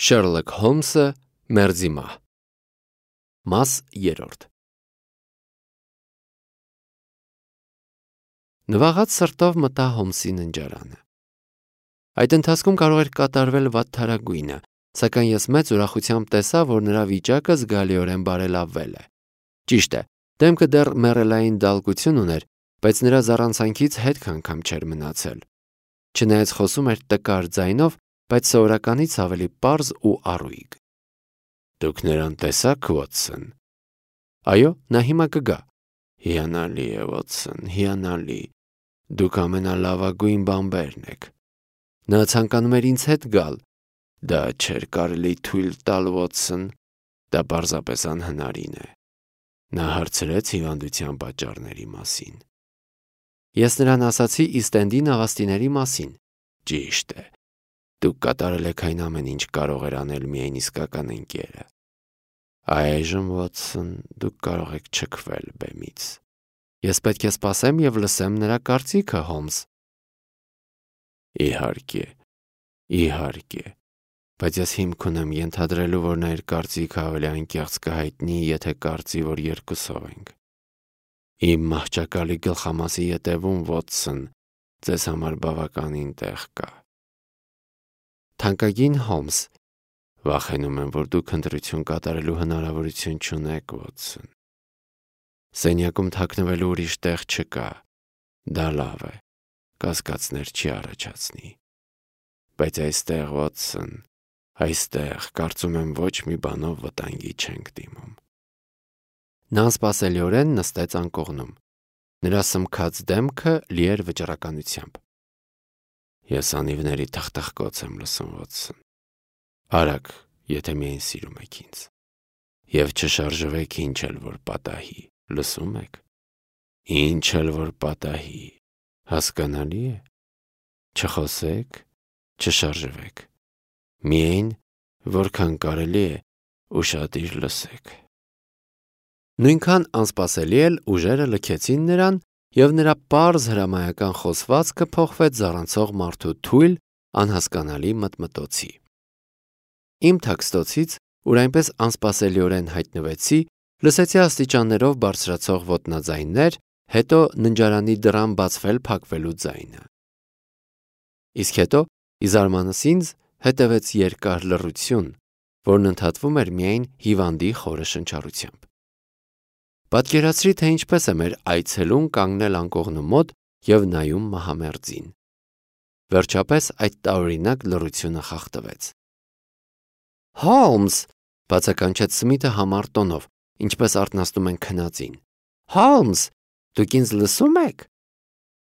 Շերլոք Հոլմսը մերձի մահ։ Մաս 3 Նվաղած սրտով մտա Հոլմսի ննջարանը։ Այդ ընթացքում կարող էր կատարվել վատթարագույնը, սակայն ես մեծ ուրախությամբ տեսա, որ նրա վիճակը զգալիորեն բարելավվել է։ Ճիշտ է, դեմքը դեռ մեռելային դալկություն ուներ, բայց նրա զառանցանքից հետք անգամ չէր մնացել։ Չնայած խոսում էր տկար ձայնով, բայց սովորականից ավելի պարզ ու առույգ։ Դուք նրան տեսա՞ք, Վոթսոն։ Այո, նա հիմա կգա։ Հիանալի է, Վոթսոն, հիանալի։ Դուք ամենալավագույն բանբերն եք։ Նա ցանկանում էր ինձ հետ գալ։ Դա չէր կարելի թույլ տալ, Վոթսոն։ Դա պարզապես անհնարին է։ Նա հարցրեց հիվանդության պատճառների մասին։ Ես նրան ասացի Իստ նավաստիների մասին։ Ճիշտ է։ Դուք կատարել եք այն ամեն ինչ կարող էր անել միայն իսկական ընկերը։ Այժմ, Վոթսոն, դուք կարող եք չքվել բեմից։ Ես պետք է սպասեմ և լսեմ նրա կարծիքը, Հոլմս։ Իհարկե, իհարկե, բայց ես հիմք ունեմ ենթադրելու, որ նա իր կարծիքը ավելի անկեղծ կհայտնի, եթե կարծի, որ երկուսով ենք։ Իմ մահճակալի գլխամասի ետևում, Վոթսոն, ձեզ համար բավականին տեղ կա։ Թանկագին Հոլմս, վախենում եմ, որ դուք ընտրություն կատարելու հնարավորություն չունեք, Վոթսոն։ Սենյակում թաքնվելու ուրիշ տեղ չկա։ Դա լավ է, կասկածներ չի առաջացնի։ Բայց այստեղ, Վոթսոն, այստեղ, կարծում եմ, ոչ մի բանով վտանգի չենք դիմում։ Նա անսպասելիորեն նստեց անկողնում։ Նրա սմքած դեմքը լի էր վճռականությամբ։ Ես անիվների թխթխկոց եմ լսում, Վոթսոն։ Արագ, եթե միայն սիրում եք ինձ։ Եվ չշարժվեք ինչ էլ որ պատահի, լսում եք։ Ինչ էլ որ պատահի, հասկանալի է։ Չխոսեք, չշարժվեք։ Միայն, որքան կարելի է, ուշադիր լսեք։ Նույնքան անսպասելի էլ ուժերը լքեցին նրան, և նրա պարզ հրամայական խոսվածքը փոխվեց զառանցող մարդու թույլ, անհասկանալի մտմտոցի։ Իմ թաքստոցից, ուր այնպես անսպասելիորեն հայտնվեցի, լսեցի աստիճաններով բարձրացող ոտնաձայններ, հետո ննջարանի դռան բացվել-փակվելու ձայնը։ Իսկ հետո, ի զարմանս ինձ, հետևեց երկար լռություն, որն ընդհատվում էր միայն հիվանդի խորը շնչառությամբ։ Պատկերացրի, թե ինչպես է մեր այցելուն կանգնել անկողնու մոտ և նայում մահամերձին։ Վերջապես այդ տարօրինակ լռությունը խախտվեց։ Հոլմս, բացականչեց Սմիթը համառ տոնով, ինչպես արթնացնում են քնածին։ Հոլմս, դուք ինձ լսում եք։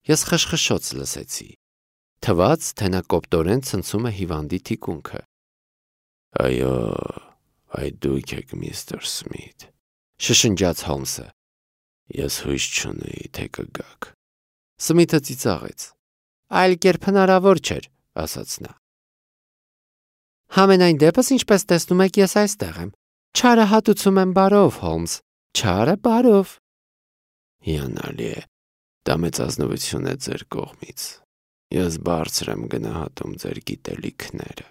Ես խշխշոց լսեցի։ Թվաց, թե նա կոպտորեն ցնցում է հիվանդի թիկունքը։ Այո, այդ դուք եք, միստր Սմիթ, շշնջաց Հոլմսը։ Ես հույս չունեի, թե կգաք։ Սմիթը ծիծաղեց։ Այլ կերպ հնարավոր չէր, ասաց նա։ Համենայն դեպս, ինչպես տեսնում եք, ես այստեղ եմ։ Չարը հատուցում եմ բարով, Հոլմս, չարը բարով։ Հիանալի է, դա մեծ ազնվություն է ձեր կողմից։ Ես բարձր եմ գնահատում ձեր գիտելիքները։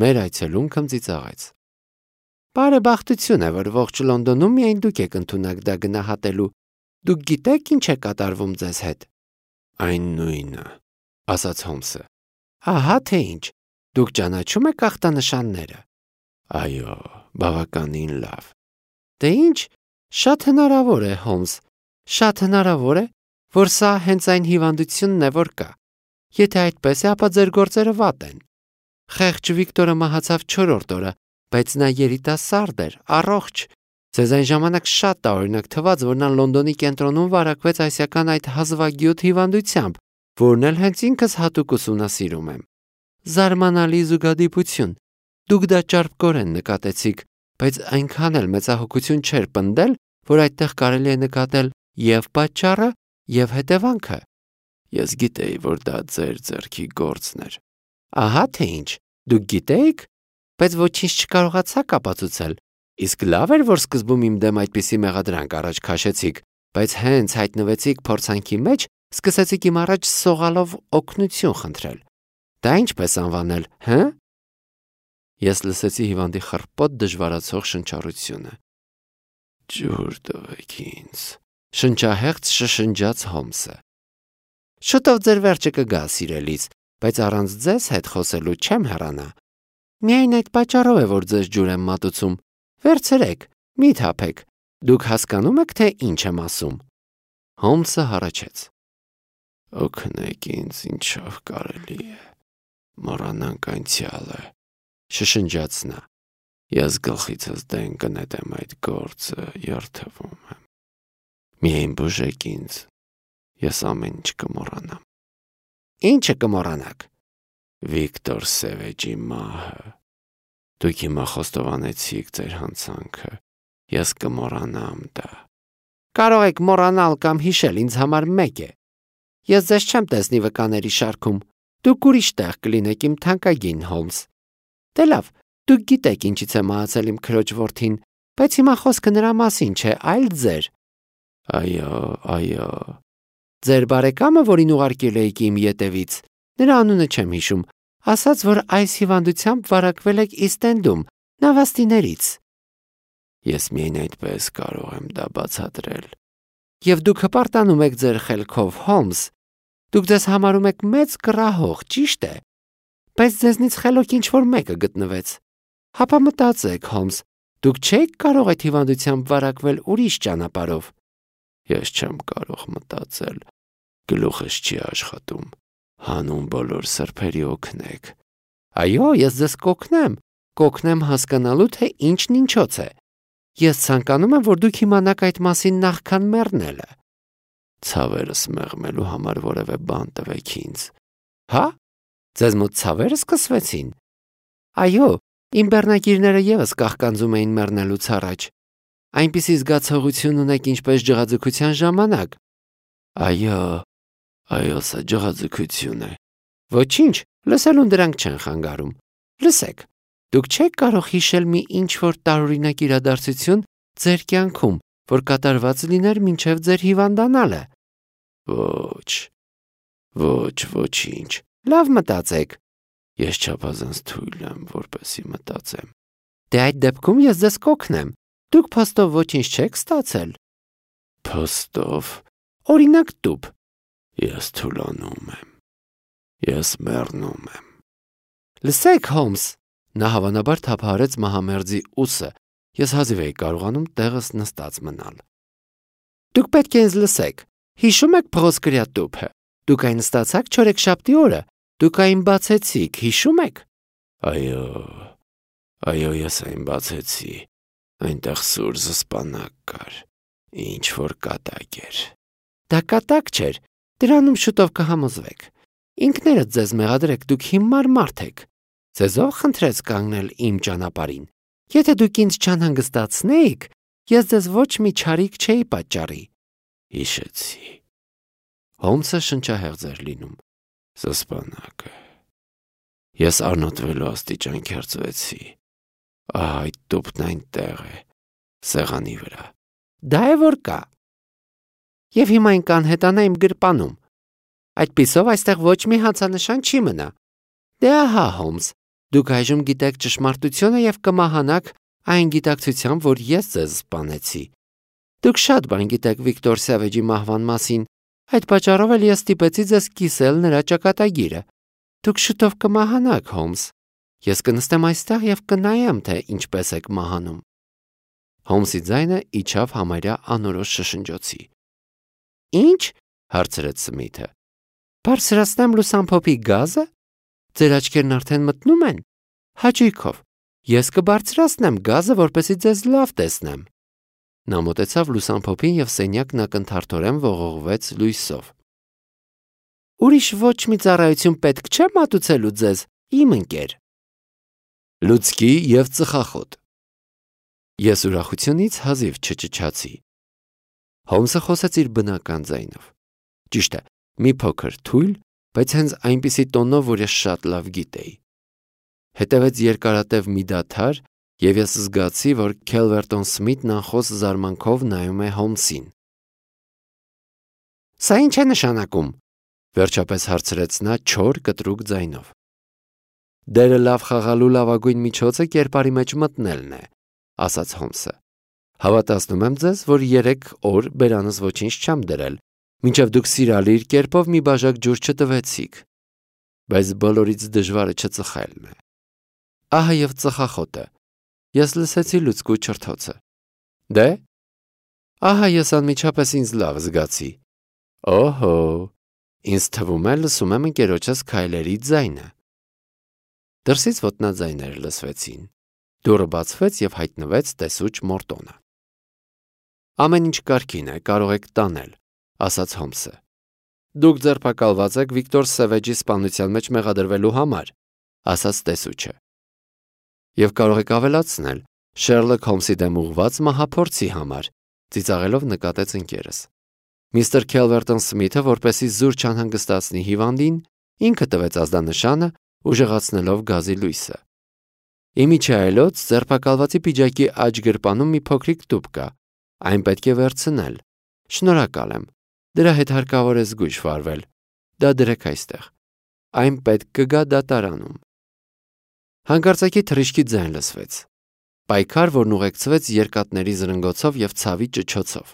Մեր այցելունքն ծիծաղեց։ Բարեբախտություն է, որ ողջ Լոնդոնում միայն դուք եք ընդունակ դա գնահատելու։ Դուք գիտեք ինչ է կատարվում ձեզ հետ։ Այն նույնը, ասաց Հոլմսը։ Ահա թե ինչ, դուք ճանաչում եք ախտանշանները։ Այո, բավականին լավ։ Դե ինչ, շատ հնարավոր է, Հոլմս, շատ հնարավոր է, որ սա հենց այն հիվանդությունն է, որ կա։ Եթե այդպես է, ապա ձեր գործերը վատ են։ Խեղճ Վիկտորը մահացավ 4-րդ օրը, բայց նա երիտասարդ էր, առողջ։ Ձեզ այն ժամանակ շատ տարօրինակ թվաց, որ նա Լոնդոնի կենտրոնում վարակվեց այսական այդ հազվագյուտ հիվանդությամբ, որն էլ հենց ինքս հատուկ ուսումնասիրում եմ։ Զարմանալի զուգադիպություն։ Դուք դա ճարպկորեն նկատեցիք, բայց այնքան էլ մեծահոգություն չէր պնդել, որ այդտեղ կարելի է նկատել և պատճառը, և հետևանքը։ Ես գիտեի, որ դա ձեր ձեռքի գործն էր։ Ահա թե ինչ, դուք գիտեիք, բայց ոչինչ չկարողացաք ապացուցել։ Իսկ լավ էր, որ սկզբում իմ դեմ այդպիսի մեղադրանք առաջ քաշեցիք, բայց հենց հայտնվեցիք փորձանքի մեջ, սկսեցիք իմ առաջ սողալով օգնություն խնդրել։ Դա ինչպես անվանել, հը՞։ Ես լսեցի հիվանդի խռպոտ դժվարացող շնչառությունը։ Ջուր տվեք ինձ, շնչահեղձ շշնջաց Հոմսը։ Շուտով ձեր վերջը կգա, սիրելիս, բայց առանց ձեզ հետ խոսելու չեմ հեռանա։ Միայն այդ պատճառով է, որ ձեզ ջուր եմ մատուցում։ Վերցրեք, մի թափեք։ Դուք հասկանում եք, թե ինչ եմ ասում։ Հոմսը հառաչեց։ Օգնեք ինձ, ինչով կարելի է։ Մոռանանք անցյալը, շշնջաց նա։ Ես գլխիցս դեն կնետեմ այդ գործը, երդվում եմ։ Միայն բուժեք ինձ, ես ամեն ինչ կմոռանամ։ Ինչը կմոռանաք։ Վիկտոր Սևեջի մահը։ Դուք հիմա խոստովանեցիք ձեր հանցանքը։ Ես կմոռանամ դա։ Կարող եք մոռանալ կամ հիշել, ինձ համար մեկ է։ Ես ձեզ չեմ տեսնի վկաների շարքում։ Դուք ուրիշ տեղ կլինեք, իմ թանկագին Հոլմս։ Դե լավ, դուք գիտեք ինչից է մահացել իմ քրոջ որդին, բայց հիմա խոսքը նրա մասին չէ, այլ ձեր։ Այո։ Ձեր բարեկամը, որին ուղարկել էիք իմ ետևից, նրա անունը չեմ հիշում, ասաց, որ այս հիվանդությամբ վարակվել եք Իստ-Էնդում, նավաստիներից։ Ես միայն այդպես կարող եմ դա բացատրել։ Եվ դուք հպարտանում եք ձեր խելքով, Հոլմս։ Դուք ձեզ համարում եք մեծ կռահող, ճիշտ է։ Բայց ձեզնից խելոք ինչ-որ մեկը գտնվեց։ Հապա մտածեք, Հոլմս, դուք չեք կարող այդ հիվանդությամբ վարակվել ուրիշ ճանապարհով։ Ես չեմ կարող մտածել, գլուխս չի աշխատում։ Հանուն բոլոր սրբերի օգնեք։ Այո, ես ձեզ կօգնեմ հասկանալու, թե ինչն ինչոց է։ Ես ցանկանում եմ, որ դուք իմանաք այդ մասին նախքան մեռնելը։ Ցավերս մեղմելու համար որևէ բան տվեք ինձ։ Հա՞։ Ձեզ մոտ ցավերը սկսվեցին։ Այո, իմ բեռնագիրները եւս կաղկանձում էին մեռնելուց առաջ։ Այնպիսի զգացողություն ունեք, ինչպես ջղաձգության ժամանակ։ Այո, սա ջղաձգություն է։ Ոչինչ, լսելուն դրանք չեն խանգարում։ Լսեք, դուք չեք կարող հիշել մի ինչ-որ տարօրինակ իրադարձություն ձեր կյանքում, որ կատարված լիներ մինչև ձեր հիվանդանալը։ Ոչինչ։ Լավ մտածեք։ Ես չափազանց թույլ եմ, որպեսզի մտածեմ։ Դե այդ դեպքում ես ձեզ կօգնեմ։ Դուք փոստով ոչինչ չեք ստացել։ Փոստով։ Օրինակ տուփ։ Ես թուլանում եմ։ Ես մեռնում եմ։ Լսեք, Հոլմս, նա հավանաբար թափահարեց մահամերձի ուսը։ Ես հազիվ էի կարողանում տեղս նստած մնալ։ Դուք պետք է ինձ լսեք։ Հիշում եք փղոսկրյա տուփը։ Դուք այն ստացաք չորեքշաբթի օրը։ Դուք այն բացեցիք, հիշում եք։ Այո, ես այն բացեցի։ Այնտեղ սուր զսպանակ կար, ինչ որ կատակ էր։ Դա կատակ չէր, դրանում շուտով կհամոզվեք։ Ինքներդ ձեզ մեղադրեք, դուք հիմար մարդ եք։ Ձեզով խնդրեց կանգնել իմ ճանապարհին։ Եթե դուք ինձ չանհանգստացնեիք, ես ձեզ ոչ մի չարիք չէի պատճառի։ Հիշեցի։ Հոլմսը շնչահեղձ էր լինում։ Զսպանակը։ Ես առնոտվելու աստիճան քերծվեցի։ Այդ տուփն այնտեղ է, սեղանի վրա։ Դա է որ կա։ Եվ հիմա այն կանհետանա իմ գրպանում։ Այդպիսով այստեղ ոչ մի հացանշան չի մնա։ Դե ահա, Հոլմս, դուք այժմ գիտեք ճշմարտությունը եւ կմահանաք այն գիտակցությամբ, որ ես ձեզ սպանեցի։ Դուք շատ բան գիտեք Վիկտոր Սևեջի մահվան մասին, այդ պատճառով էլ ես ստիպեցի ձեզ կիսել նրա ճակատագիրը։ Դուք շուտով կմահանաք, Հոլմս։ Ես կնստեմ այստեղ եւ կնայեմ, թե ինչպես եք մահանում։ Հոլմսի ձայնը իջավ համարյա անորոշ շշնջոցի։ Ինչ? Հարցրեց Սմիթը։ Բարձրացնեմ լուսամփոփի գազը։ Ձեր աչքերն արդեն մտնում են։ Հաճույքով։ Ես կբարձրացնեմ գազը, որպեսզի ձեզ լավ տեսնեմ։ Նա մոտեցավ լուսամփոփին եւ սենյակն ակնթարթորեն ողողվեց լույսով։ Ուրիշ ոչ մի ծառայություն պետք չէ մատուցելու ձեզ, իմ ընկեր։ Լուցկի եւ ծխախոտ։ Ես ուրախությունից հազիվ չճչացի։ Հոլմսը խոսեց իր բնական ձայնով։ Ճիշտ է, մի փոքր թույլ, բայց հենց այնպիսի տոնով, որ ես շատ լավ գիտեի։ Հետևեց երկարատև մի դադար, եւ ես զգացի, որ Քելվերտոն Սմիթն անխոս զարմանքով նայում է Հոլմսին։ Սա ինչ է նշանակում, վերջապես հարցրեց նա չոր կտրուկ ձայնով։ Դերը լավ խաղալու լավագույն միջոցը կերպարի մեջ մտնելն է, ասաց Հոմսը։ Հավատացնում եմ ձեզ, որ 3 օր բերանս ոչինչ չեմ դրել, մինչև դուք սիրալիր կերպով մի բաժակ ջուր չտվեցիք։ Բայց բոլորից դժվարը չծխելն է։ Ահա եւ ծխախոտը։ Ես լսեցի լուցկու չրթոցը։ Դե։ Ահա ես անմիջապես ինձ լավ զգացի։ Օհո, ինձ թվում է լսում եմ ընկերոջս քայլերի ձայնը։ Դրսից ոտնաձայներ լսվեցին։ Դուռը բացվեց եւ հայտնվեց տեսուչ Մորտոնը։ Ամեն ինչ կարգին է, կարող եք տանել, ասաց Հոմսը։ Դուք ձերբակալված եք Վիկտոր Սևեջի սպանության մեջ մեղադրվելու համար, ասաց տեսուչը։ Եվ կարող եք ավելացնել Շերլոկ Հոմսի դեմ ուղղված մահափորձի համար, ծիծաղելով նկատեց ընկերս։ Միստր Քելվերտոն Սմիթը, որպեսզի զուր չանհանգստացնի հիվանդին, ինքը տվեց ազդանշանը, ուժեղացնելով գազի լույսը։ Իմիջայելոց ձերբակալվածի պիջակի աջ գրպանում մի փոքրիկ տուփ կա, այն պետք է վերցնել։ Շնորհակալ եմ, դրա հետ հարկավոր է զգույշ վարվել, դա դրեք այստեղ, այն պետք կգա դատարանում։ Հանկարծակի թռիչքի ձայն լսվեց, պայքար, որն ուղեկցվեց երկաթների զրնգոցով և ցավի ճչոցով։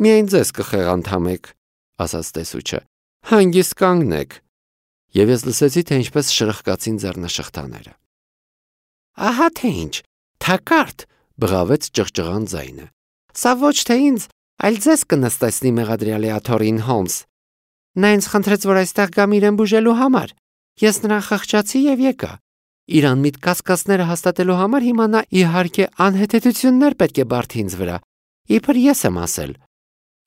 Միայն ձեզ կխեղանդամեք, ասաց տեսուչը, հանգիստ կանգնեք։ Եվ ես լսեցի, թե ինչպես շրխկացին ձեռնաշղթաները։ Ահա թե ինչ, թակարդ, բղավեց ճղճղան ձայնը։ Սա ոչ թե ինձ, այլ ձեզ կնստեցնի մեղադրյալի աթոռին, Հոմս։ Նա ինձ խնդրեց, որ այստեղ գամ իրեն բուժելու համար։ Ես նրան խղճացի եւ եկա։ Իր անմիտ կասկածները հաստատելու համար հիմա նա իհարկե անհեթեթություններ պետք է բարդի ինձ վրա։ Իբր ես եմ ասել։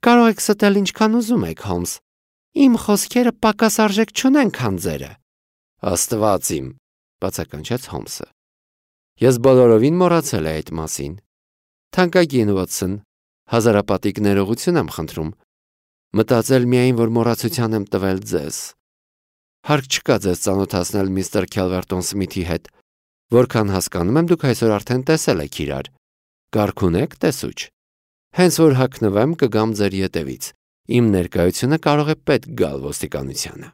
Կարող եք ստել ինչքան ուզում եք, Հոմս։ Իմ խոսքերը պակաս արժեք չունեն, քան ձերը։ Աստված իմ, բացականչեց Հոմսը։ Ես բոլորովին մոռացել էի այդ մասին։ Թանկագին Վոտսոն, հազարապատիկ ներողություն եմ խնդրում։ Մտածել միայն, որ մոռացության եմ տվել ձեզ։ Հարկ չկա ձեզ ծանոթացնել միստր Քելվերտոն Սմիթի հետ, որքան հասկանում եմ, դուք այսօր արդեն տեսել եք իրար։ Կարգ ունեք, տեսուչ։ Հենց որ հագնվեմ, կգամ ձեր ետևից։ Իմ ներկայությունը կարող է պետք գալ ոստիկանությանը։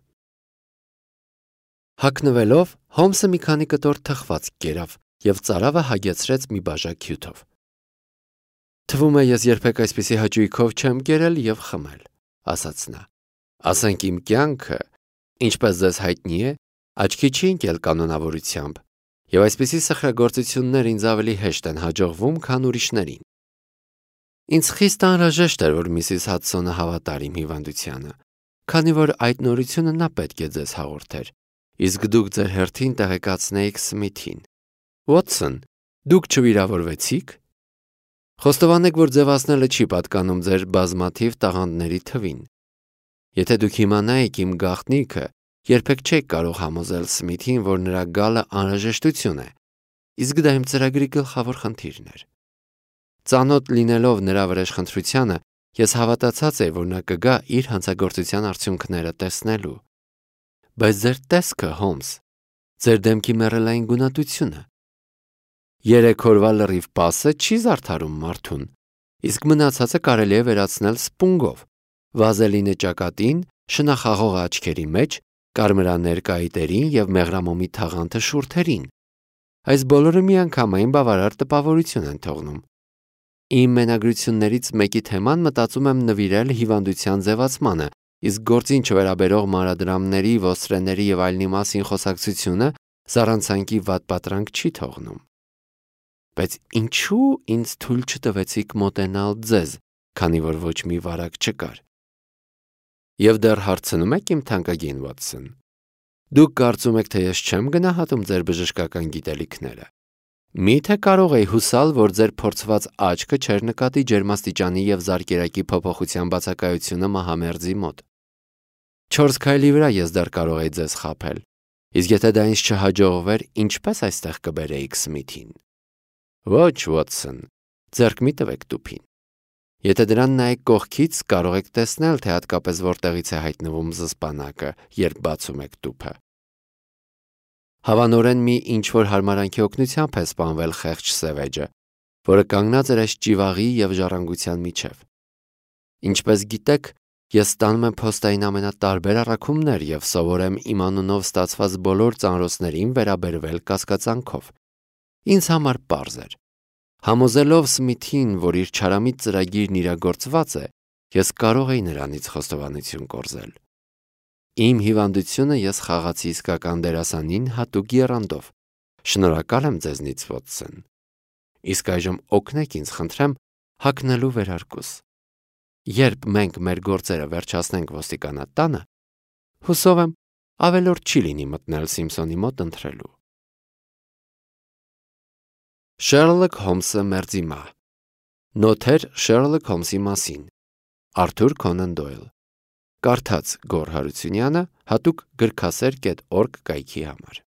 Հագնվելով, Հոմսը մի քանի կտոր թխված կերավ և ծարավը հագեցրեց մի բաժակ հյութով։ Թվում է, ես երբեք այսպիսի հաճույքով չեմ կերել և խմել, ասաց նա։ Ասենք իմ կյանքը, ինչպես ձեզ հայտնի է, աչքի չի ընկել կանոնավորությամբ, և այսպիսի սխրագործություններ ինձ ավելի հեշտ են հաջողվում, քան ուրիշներին։ Ինձ խիստ անհրաժեշտ էր, որ Միսիս Հադսոնը հավատար իմ հիվանդությանը, քանի որ այդ նորությունը նա պետք է ձեզ հաղորդեր, իսկ դուք ձեր հերթին տեղեկացնեիք Սմիթին։ Վոտսոն, դուք չվիրավորվեցիք։ Խոստովանեք, որ ձևացնելը չի պատկանում ձեր բազմաթիվ տաղանդների թվին։ Եթե դուք իմանայիք իմ գաղտնիքը, երբեք չեք կարող համոզել Սմիթին, որ նրա գալը անհրաժեշտություն է, իսկ դա իմ ծրագրի գլխավոր խնդիրն էր։ Ծանոթ լինելով նրա վրեժխնդրությանը, ես հավատացած էի, որ նա կգա իր հանցագործության արդյունքները տեսնելու։ Բայց ձեր տեսքը, Հոմս, ձեր դեմքի մեռելային գունատությունը։ 3 օրվա լրիվ պասը չի զարդարում մարդուն, իսկ մնացածը կարելի է վերացնել սպունգով, վազելինը ճակատին, շնախաղող աչքերի մեջ, կարմրաներ կայտերին և մեղրամոմի թաղանթը շուրթերին։ Այս բոլորը միանգամայն բավարար տպավորություն են թողնում։ Իմ մենագրություններից մեկի թեման մտածում եմ նվիրել հիվանդության ձևացմանը, իսկ գործին չվերաբերող մանրադրամների, ոստրեների և այլնի մասին խոսակցությունը զառանցանքի վատ պատրանք չի թողնում։ Բայց ինչու ինձ թույլ չտվեցիք մոտենալ ձեզ, քանի որ ոչ մի վարակ չկար։ Եվ դեռ հարցնում եք իմ թանկագին Վոտսոն։ Դուք կարծում եք, թե ես չեմ գնահատում ձեր բժշկական գիտելիքները։ Միթե կարող էի հուսալ, որ ձեր փորձված աչքը չէր նկատի ջերմաստիճանի և զարկերակի փոփոխության բացակայությունը մահամերձի մոտ։ 4 քայլի վրա ես դեռ կարող էի ձեզ խաբել, իսկ եթե դա ինձ չհաջողվեր, ինչպես այստեղ կբերեիք Սմիթին։ Ոչ, Վոտսոն, ձեռք մի տվեք տուփին։ Եթե դրան նայեք կողքից, կարող եք տեսնել, թե հատկապես որտեղից է հայտնվում զսպանակը, երբ բացում եք տուփը։ Հավանորեն մի ինչ-որ հարմարանքի օգնությամբ է սպանվել խեղճ Սևեջը, որը կանգնած էր այս ճիվաղի և ժառանգության միջև։ Ինչպես գիտեք, Ես ստանում եմ փոստային ամենատարբեր առաքումներ և սովորեմ իմ անունով ստացված բոլոր ծանրոցներին վերաբերվել կասկածանքով։ Ինձ համար պարզ էր։ Համոզելով Սմիթին, որ իր չարամիտ ծրագիրն իրագործված է, ես կարող էի նրանից խոստովանություն կորզել։ Իմ հիվանդությունը ես խաղացի իսկական դերասանին հատուկ եռանդով։ Շնորհակալ եմ ձեզնից, Վոտսոն։ Իսկ այժմ օգնեք ինձ, խնդրեմ, հագնելու վերարկուս։ Երբ մենք մեր գործերը վերջացնենք ոստիկանատանը, հուսով եմ, ավելորդ չի լինի մտնել Սիմփսոնի մոտ ընթրելու։ Շերլոք Հոլմսը մերձիմա։ Նոթեր Շերլոք Հոլմսի մասին։ Արթուր Քոնան Դոյլ։ Կարդաց Գոռ Հարությունյանը հատուկ գրքասեր.org կայքի համար։